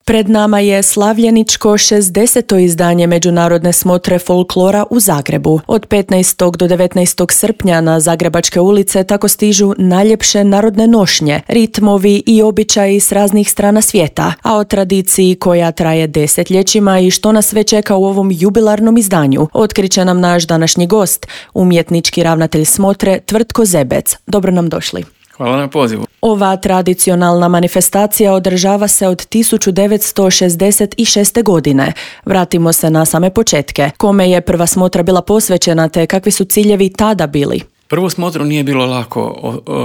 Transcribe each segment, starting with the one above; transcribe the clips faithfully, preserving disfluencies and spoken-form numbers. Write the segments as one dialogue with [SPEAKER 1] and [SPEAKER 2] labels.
[SPEAKER 1] Pred nama je slavljeničko šezdeseto izdanje Međunarodne smotre folklora u Zagrebu. Od petnaestog do devetnaestog srpnja na zagrebačke ulice tako stižu najljepše narodne nošnje, ritmovi i običaji s raznih strana svijeta, a o tradiciji koja traje desetljećima i što nas sve čeka u ovom jubilarnom izdanju otkriće nam naš današnji gost, umjetnički ravnatelj smotre Tvrtko Zebec. Dobro nam došli.
[SPEAKER 2] Hvala na pozivu.
[SPEAKER 1] Ova tradicionalna manifestacija održava se od tisuću devetsto šezdeset šeste. godine. Vratimo se na same početke. Kome je prva smotra bila posvećena te kakvi su ciljevi tada bili?
[SPEAKER 2] Prvu smotru nije bilo lako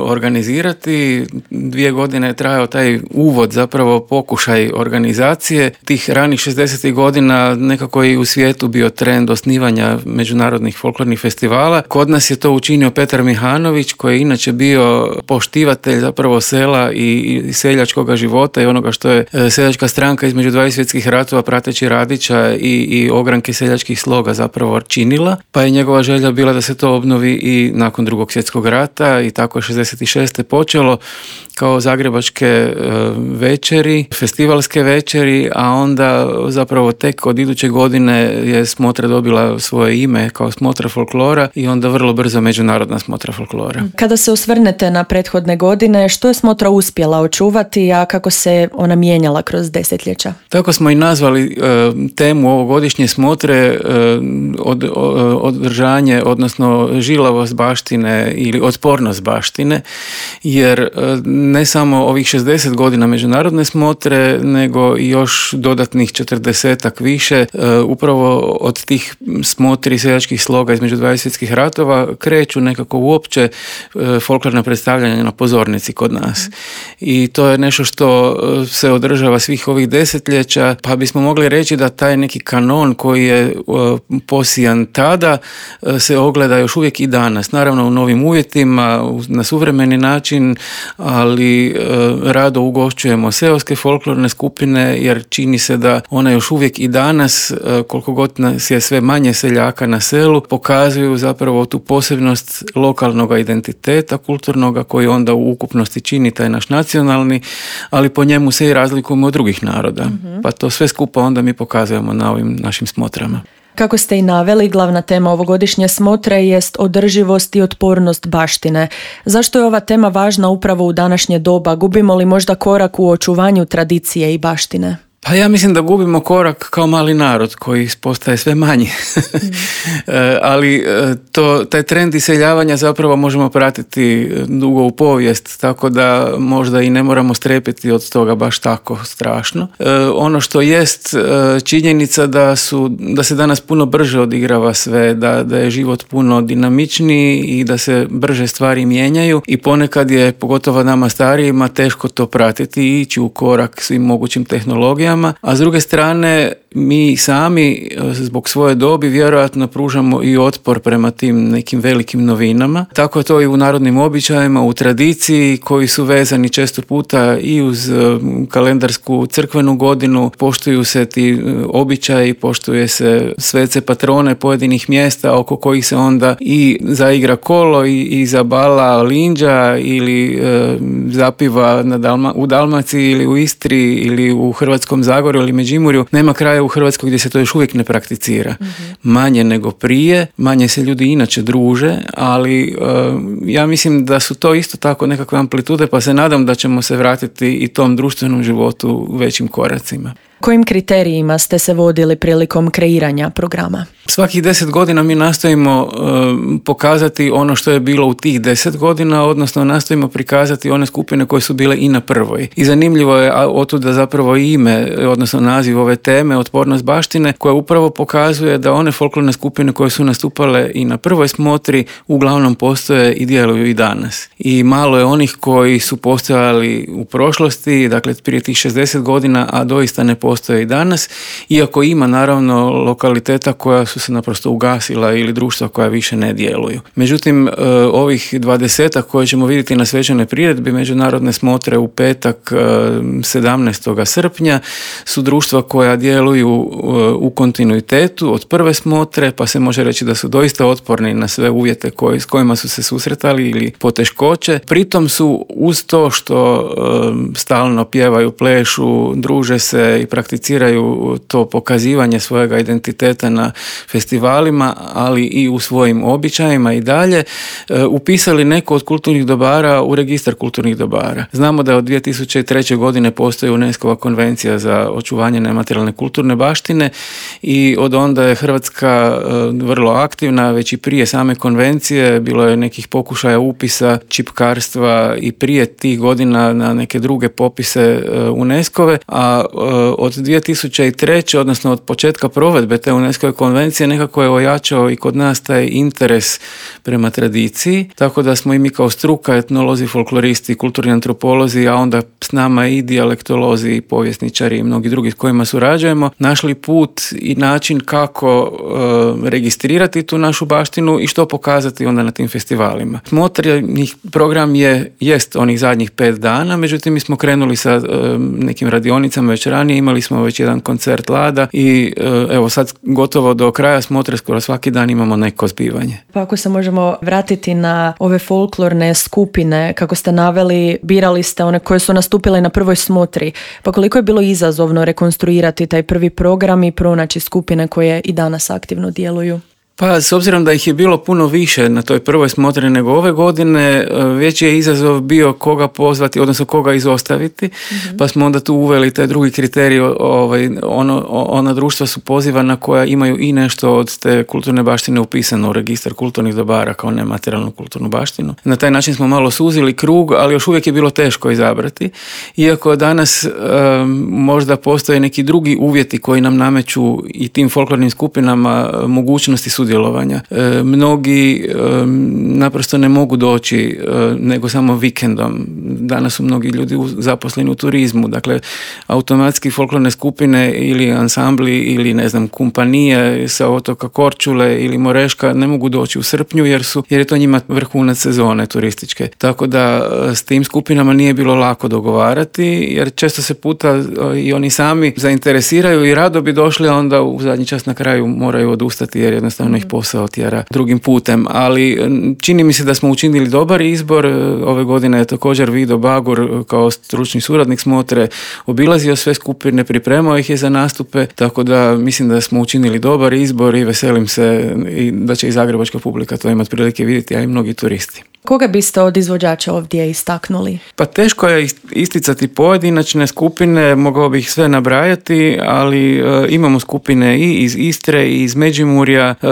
[SPEAKER 2] organizirati. Dvije godine je trajao taj uvod, zapravo pokušaj organizacije. Tih ranih šezdesetih godina nekako je i u svijetu bio trend osnivanja međunarodnih folklornih festivala. Kod nas je to učinio Petar Mihanović, koji je inače bio poštivatelj zapravo sela i, i seljačkog života i onoga što je seljačka stranka između dvaju svjetskih ratova prateći Radića i, i ogranke seljačkih sloga zapravo činila. Pa je njegova želja bila da se to obnovi i na nakon drugog svjetskog rata i tako je šezdeset šeste. počelo kao zagrebačke e, večeri, festivalske večeri, a onda zapravo tek od iduće godine je smotra dobila svoje ime kao smotra folklora i onda vrlo brzo međunarodna smotra folklora.
[SPEAKER 1] Kada se osvrnete na prethodne godine, što je smotra uspjela očuvati, a kako se ona mijenjala kroz desetljeća?
[SPEAKER 2] Tako smo i nazvali e, temu ovogodišnje smotre e, od, o, održanje, odnosno žilavost baštine ili otpornost baštine, jer ne samo ovih šezdeset godina međunarodne smotre, nego i još dodatnih četrdesetak više, upravo od tih smotri seljačkih sloga između dvaju svjetskih ratova kreću nekako uopće folklorna predstavljanja na pozornici kod nas. I to je nešto što se održava svih ovih desetljeća, pa bismo mogli reći da taj neki kanon koji je posijan tada se ogleda još uvijek i danas. Naravno u novim uvjetima, na suvremeni način, ali e, rado ugošćujemo seoske folklorne skupine, jer čini se da one još uvijek i danas, e, koliko god nas je sve manje seljaka na selu, pokazuju zapravo tu posebnost lokalnog identiteta kulturnoga koji onda u ukupnosti čini taj naš nacionalni, ali po njemu se i razlikujemo od drugih naroda. Mm-hmm. Pa to sve skupa onda mi pokazujemo na ovim našim smotrama.
[SPEAKER 1] Kako ste i naveli, glavna tema ovogodišnje smotre jest održivost i otpornost baštine. Zašto je ova tema važna upravo u današnje doba? Gubimo li možda korak u očuvanju tradicije i baštine?
[SPEAKER 2] Pa ja mislim da gubimo korak kao mali narod koji postaje sve manji. Mm. Ali to, taj trend iseljavanja zapravo možemo pratiti dugo u povijest, tako da možda i ne moramo strepiti od toga baš tako strašno. Ono što jest činjenica da, su, da se danas puno brže odigrava sve, da, da je život puno dinamičniji i da se brže stvari mijenjaju i ponekad je, pogotovo nama starijima, teško to pratiti i ići u korak svim mogućim tehnologijama. A s druge strane, mi sami zbog svoje dobi vjerojatno pružamo i otpor prema tim nekim velikim novinama. Tako je to i u narodnim običajima, u tradiciji koji su vezani često puta i uz kalendarsku crkvenu godinu. Poštuju se ti običaji, poštuje se svece patrone pojedinih mjesta oko kojih se onda i zaigra kolo i, i zabala linđa ili e, zapiva na Dalma, u Dalmaciji ili u Istri ili u Hrvatskom Zagorju ili Međimurju. Nema kraja u Hrvatskoj gdje se to još uvijek ne prakticira. Mm-hmm. Manje nego prije, manje se ljudi inače druže, ali uh, ja mislim da su to isto tako nekakve amplitude, pa se nadam da ćemo se vratiti i tom društvenom životu većim koracima.
[SPEAKER 1] Kojim kriterijima ste se vodili prilikom kreiranja programa?
[SPEAKER 2] Svakih deset godina mi nastojimo uh, pokazati ono što je bilo u tih deset godina, odnosno nastojimo prikazati one skupine koje su bile i na prvoj. I zanimljivo je otuda zapravo ime, odnosno naziv ove teme, otpornost baštine, koja upravo pokazuje da one folklorne skupine koje su nastupale i na prvoj smotri uglavnom postoje i djeluju i danas. I malo je onih koji su postojali u prošlosti, dakle prije tih šezdeset godina, a doista ne postoje postoje i danas, iako ima naravno lokaliteta koja su se naprosto ugasila ili društva koja više ne djeluju. Međutim, ovih dvadesetak koje ćemo vidjeti na svečanoj priredbi međunarodne smotre u petak sedamnaestog srpnja su društva koja djeluju u kontinuitetu od prve smotre, pa se može reći da su doista otporni na sve uvjete koji, s kojima su se susretali ili poteškoće. Pritom su uz to što e, stalno pjevaju, plešu, druže se i prakticiraju to pokazivanje svojega identiteta na festivalima, ali i u svojim običajima i dalje, e, upisali neko od kulturnih dobara u registar kulturnih dobara. Znamo da od dvije tisuće treće. godine postoji UNESCO-va konvencija za očuvanje nematerijalne kulturne baštine i od onda je Hrvatska e, vrlo aktivna, već i prije same konvencije bilo je nekih pokušaja upisa čipkarstva i prije tih godina na neke druge popise UNESCO-ve, a od dvije tisuće treće. odnosno od početka provedbe te UNESCO-ve konvencije nekako je ojačao i kod nas taj interes prema tradiciji, tako da smo i mi kao struka, etnolozi, folkloristi, kulturni antropolozi, a onda s nama i dijalektolozi, i povjesničari i mnogi drugi s kojima surađujemo, našli put i način kako e, registrirati tu našu baštinu i što pokazati onda na tim festivalima. Smotreni program je jest onih zadnjih pet dana, međutim mi smo krenuli sa e, nekim radionicama već ranije, imali smo već jedan koncert Lada i e, evo sad gotovo do kraja smotre skoro svaki dan imamo neko zbivanje.
[SPEAKER 1] Pa ako se možemo vratiti na ove folklorne skupine, kako ste naveli, birali ste one koje su nastupile na prvoj smotri, pa koliko je bilo izazovno rekonstruirati taj prvi program i pronaći skupine koje i danas aktivno djeluju?
[SPEAKER 2] Pa, s obzirom da ih je bilo puno više na toj prvoj smotri nego ove godine, veći je izazov bio koga pozvati, odnosno koga izostaviti, mm-hmm. pa smo onda tu uveli taj drugi kriterij, ovaj, ono, ona društva su pozivana koja imaju i nešto od te kulturne baštine upisano u registar kulturnih dobara kao nematerijalnu kulturnu baštinu. Na taj način smo malo suzili krug, ali još uvijek je bilo teško izabrati, iako danas um, možda postoje neki drugi uvjeti koji nam nameću i tim folklornim skupinama mogućnosti sudjelovanja. E, mnogi e, naprosto ne mogu doći e, nego samo vikendom. Danas su mnogi ljudi u, zaposleni u turizmu, dakle automatski folklorne skupine ili ansambli ili ne znam kompanije sa otoka Korčule ili Moreška ne mogu doći u srpnju jer su jer je to njima vrhunac sezone turističke. Tako da s tim skupinama nije bilo lako dogovarati jer često se puta i oni sami zainteresiraju i rado bi došli, a onda u zadnji čas na kraju moraju odustati jer jednostavno ih posao tjera drugim putem, ali čini mi se da smo učinili dobar izbor. Ove godine je također Vido Bagur kao stručni suradnik smotre obilazio sve skupine, pripremao ih je za nastupe, tako da mislim da smo učinili dobar izbor i veselim se i da će i zagrebačka publika to imati prilike vidjeti, a i mnogi turisti.
[SPEAKER 1] Koga biste od izvođača ovdje istaknuli?
[SPEAKER 2] Pa teško je isticati pojedinačne skupine, mogao bih sve nabrajati, ali e, imamo skupine i iz Istre, i iz Međimurja, e,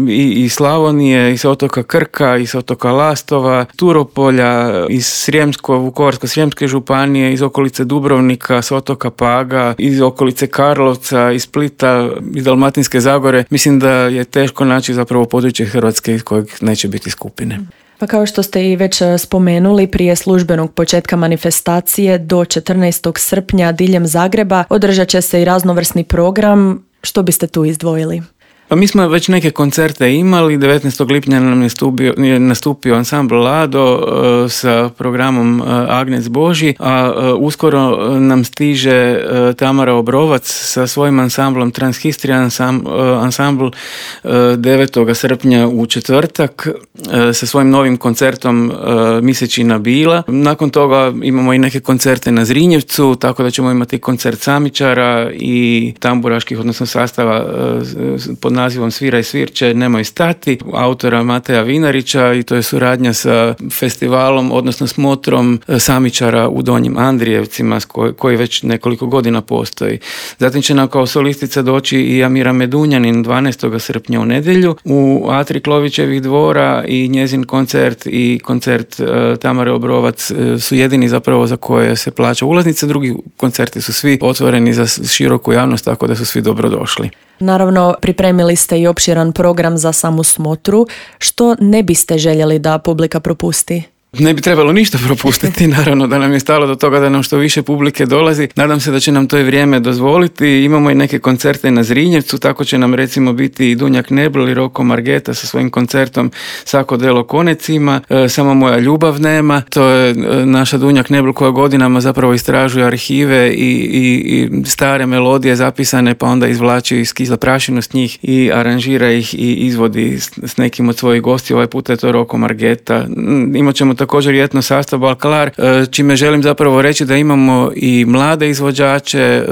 [SPEAKER 2] i iz Slavonije, iz otoka Krka, iz otoka Lastova, Turopolja, iz Srijemsko, Vukovarsko-srijemske županije, iz okolice Dubrovnika, s otoka Paga, iz okolice Karlovca, iz Splita, iz Dalmatinske Zagore. Mislim da je teško naći zapravo područje Hrvatske iz kojeg neće biti skupine.
[SPEAKER 1] Pa kao što ste i već spomenuli, prije službenog početka manifestacije do četrnaestog srpnja diljem Zagreba održat će se i raznovrsni program. Što biste tu izdvojili?
[SPEAKER 2] Pa mi smo već neke koncerte imali, devetnaestog lipnja nam je, stupio, je nastupio ansambl Lado uh, sa programom uh, Agnec Božji, a uh, uskoro nam stiže uh, Tamara Obrovac sa svojim ansamblom Transhistrija ansambl, uh, ansambl uh, devetog srpnja u četvrtak uh, sa svojim novim koncertom uh, Misečina Bila. Nakon toga imamo i neke koncerte na Zrinjevcu, tako da ćemo imati koncert samičara i tamburaških, odnosno sastava uh, pod nazivom Svira i svirče, nemoj stati, autora Mateja Vinarića, i to je suradnja sa festivalom, odnosno smotrom samičara u Donjim Andrijevcima koji, koji već nekoliko godina postoji. Zatim će nam kao solistica doći i Amira Medunjanin dvanaestog srpnja u nedjelju u Atri Klovićevih dvora, i njezin koncert i koncert uh, Tamare Obrovac uh, su jedini zapravo za koje se plaća ulaznica, drugi koncerti su svi otvoreni za široku javnost, tako da su svi dobrodošli.
[SPEAKER 1] Naravno, pripremili ste i opširan program za samu smotru. Što ne biste željeli da publika propusti?
[SPEAKER 2] Ne bi trebalo ništa propustiti, naravno da nam je stalo do toga da nam što više publike dolazi. Nadam se da će nam to i vrijeme dozvoliti. Imamo i neke koncerte na Zrinjevcu, tako će nam recimo biti i Dunjak Nebel i Roko Margeta sa svojim koncertom Sako delo konecima, e, Samo moja ljubav nema. To je e, naša Dunjak Nebel koja godinama zapravo istražuje arhive i, i, i stare melodije zapisane, pa onda izvlači skiza prašinu s njih i aranžira ih i izvodi s, s nekim od svojih gosti. Ovaj puta je to Roko Margeta. Imat ćemo također i etno sastav Balkalar, čime želim zapravo reći da imamo i mlade izvođače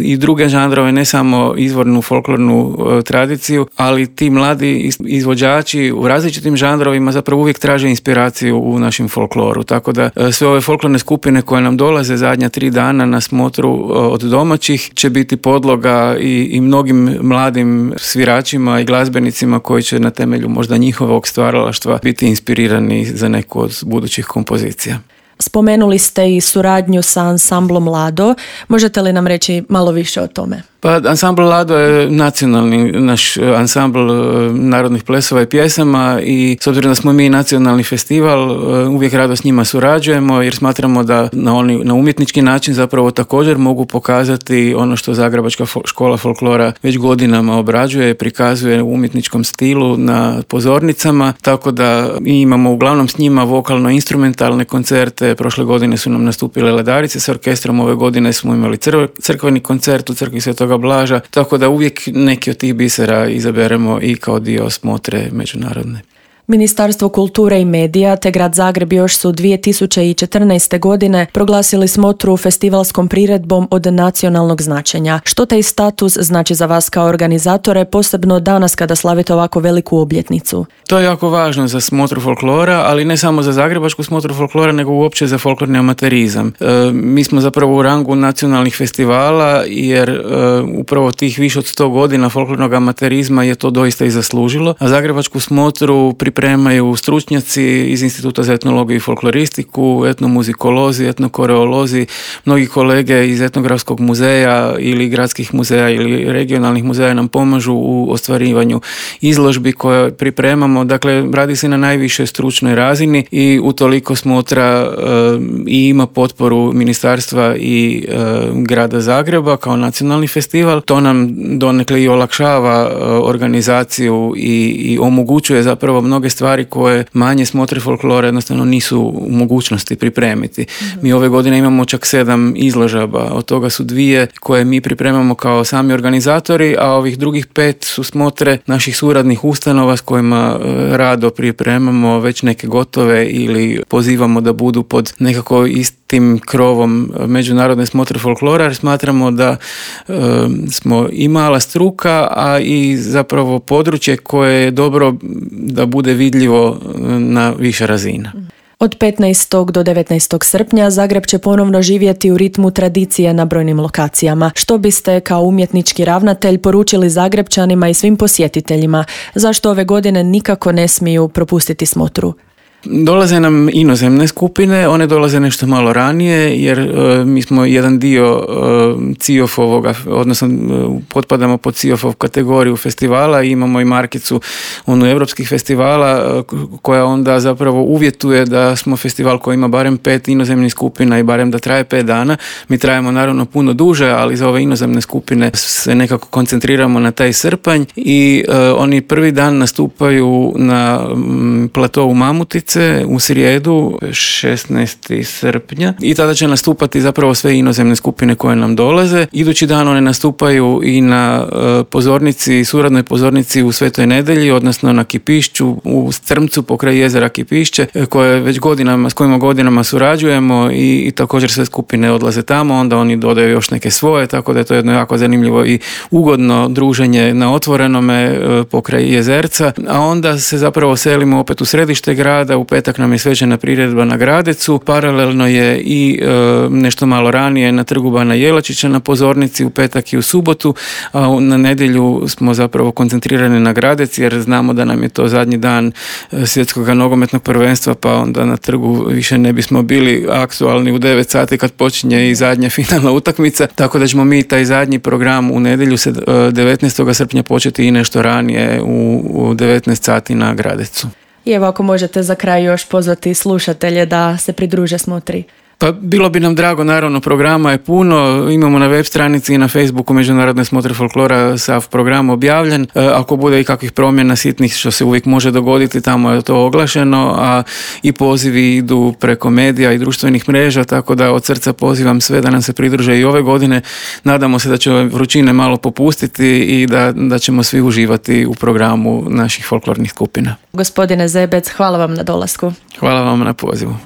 [SPEAKER 2] i druge žanrove, ne samo izvornu folklornu tradiciju, ali ti mladi izvođači u različitim žanrovima zapravo uvijek traže inspiraciju u našem folkloru. Tako da sve ove folklorne skupine koje nam dolaze zadnja tri dana na smotru od domaćih će biti podloga i, i mnogim mladim sviračima i glazbenicima koji će na temelju možda njihovog stvaralaštva biti inspirirani za neku od budućih kompozicija.
[SPEAKER 1] Spomenuli ste i suradnju sa ansamblom Lado. Možete li nam reći malo više o tome?
[SPEAKER 2] Pa ansambl Lado je nacionalni naš ansambl narodnih plesova i pjesama i s obzirom da smo mi nacionalni festival, uvijek rado s njima surađujemo jer smatramo da na, oni, na umjetnički način zapravo također mogu pokazati ono što Zagrebačka škola folklora već godinama obrađuje, prikazuje u umjetničkom stilu na pozornicama, tako da mi imamo uglavnom s njima vokalno-instrumentalne koncerte. Prošle godine su nam nastupile Ledarice s orkestrom, ove godine smo imali crv- crkveni koncert u crkvi Svetog Blaža, tako da uvijek neki od tih bisera izaberemo i kao dio smotre međunarodne.
[SPEAKER 1] Ministarstvo kulture i medija te grad Zagreb još su dvije tisuće četrnaeste. godine proglasili smotru festivalskom priredbom od nacionalnog značenja. Što taj status znači za vas kao organizatore, posebno danas kada slavite ovako veliku obljetnicu?
[SPEAKER 2] To je jako važno za smotru folklora, ali ne samo za zagrebačku smotru folklora, nego uopće za folklorni amaterizam. E, mi smo zapravo u rangu nacionalnih festivala, jer e, upravo tih više od sto godina folklornog amaterizma je to doista i zaslužilo, a zagrebačku smotru pripremaju stručnjaci iz Instituta za etnologiju i folkloristiku, etnomuzikolozi, etnokoreolozi, mnogi kolege iz etnografskog muzeja ili gradskih muzeja ili regionalnih muzeja nam pomažu u ostvarivanju izložbi koje pripremamo. Dakle, radi se na najvišoj stručnoj razini i utoliko smotra e, i ima potporu ministarstva i e, grada Zagreba kao nacionalni festival. To nam donekle i olakšava e, organizaciju i, i omogućuje zapravo mnoge stvari koje manje smotre folklora jednostavno nisu u mogućnosti pripremiti. Mm-hmm. Mi ove godine imamo čak sedam izložaba, od toga su dvije koje mi pripremamo kao sami organizatori, a ovih drugih pet su smotre naših suradnih ustanova s kojima rado pripremamo već neke gotove ili pozivamo da budu pod nekako istim krovom međunarodne smotre folklora, jer smatramo da e, smo i mala struka, a i zapravo područje koje je dobro da bude vidljivo na više razina.
[SPEAKER 1] Od petnaestog do devetnaestog srpnja Zagreb će ponovno živjeti u ritmu tradicije na brojnim lokacijama. Što biste kao umjetnički ravnatelj poručili Zagrebčanima i svim posjetiteljima? Zašto ove godine nikako ne smiju propustiti smotru?
[SPEAKER 2] Dolaze nam inozemne skupine, one dolaze nešto malo ranije jer e, mi smo jedan dio e, C I O F-ovoga, odnosno e, potpadamo pod C I O F-ov kategoriju festivala i imamo i markicu onu europskih festivala e, koja onda zapravo uvjetuje da smo festival koji ima barem pet inozemnih skupina i barem da traje pet dana. Mi trajemo naravno puno duže, ali za ove inozemne skupine se nekako koncentriramo na taj srpanj i e, oni prvi dan nastupaju na m, platovu Mamutice u srijedu šesnaestog srpnja i tada će nastupati zapravo sve inozemne skupine koje nam dolaze. Idući dan one nastupaju i na uh, pozornici, suradnoj pozornici u Svetoj Nedelji, odnosno na Kipišću u Strmcu pokraj jezera Kipišće, koje već godinama, s kojima godinama surađujemo i, i također sve skupine odlaze tamo, onda oni dodaju još neke svoje, tako da je to jedno jako zanimljivo i ugodno druženje na otvorenome uh, pokraj jezerca, a onda se zapravo selimo opet u središte grada. U petak nam je svečana priredba na Gradecu, paralelno je i e, nešto malo ranije na Trgu Bana Jelačića na pozornici u petak i u subotu, a na nedjelju smo zapravo koncentrirani na Gradec jer znamo da nam je to zadnji dan svjetskog nogometnog prvenstva, pa onda na trgu više ne bismo bili aktualni u devet sati kad počinje i zadnja finalna utakmica, tako da ćemo mi taj zadnji program u nedjelju devetnaestog srpnja početi i nešto ranije u, u devetnaest sati na Gradecu.
[SPEAKER 1] I evo ako možete za kraj još pozvati slušatelje da se pridruže smotri.
[SPEAKER 2] Pa bilo bi nam drago, naravno programa je puno, imamo na web stranici i na Facebooku Međunarodne smotre folklora sav program objavljen. E, ako bude i kakvih promjena sitnih što se uvijek može dogoditi, tamo je to oglašeno, a i pozivi idu preko medija i društvenih mreža, tako da od srca pozivam sve da nam se pridruže i ove godine. Nadamo se da će vrućine malo popustiti i da, da ćemo svi uživati u programu naših folklornih skupina.
[SPEAKER 1] Gospodine Zebec, hvala vam na dolasku.
[SPEAKER 2] Hvala vam na pozivu.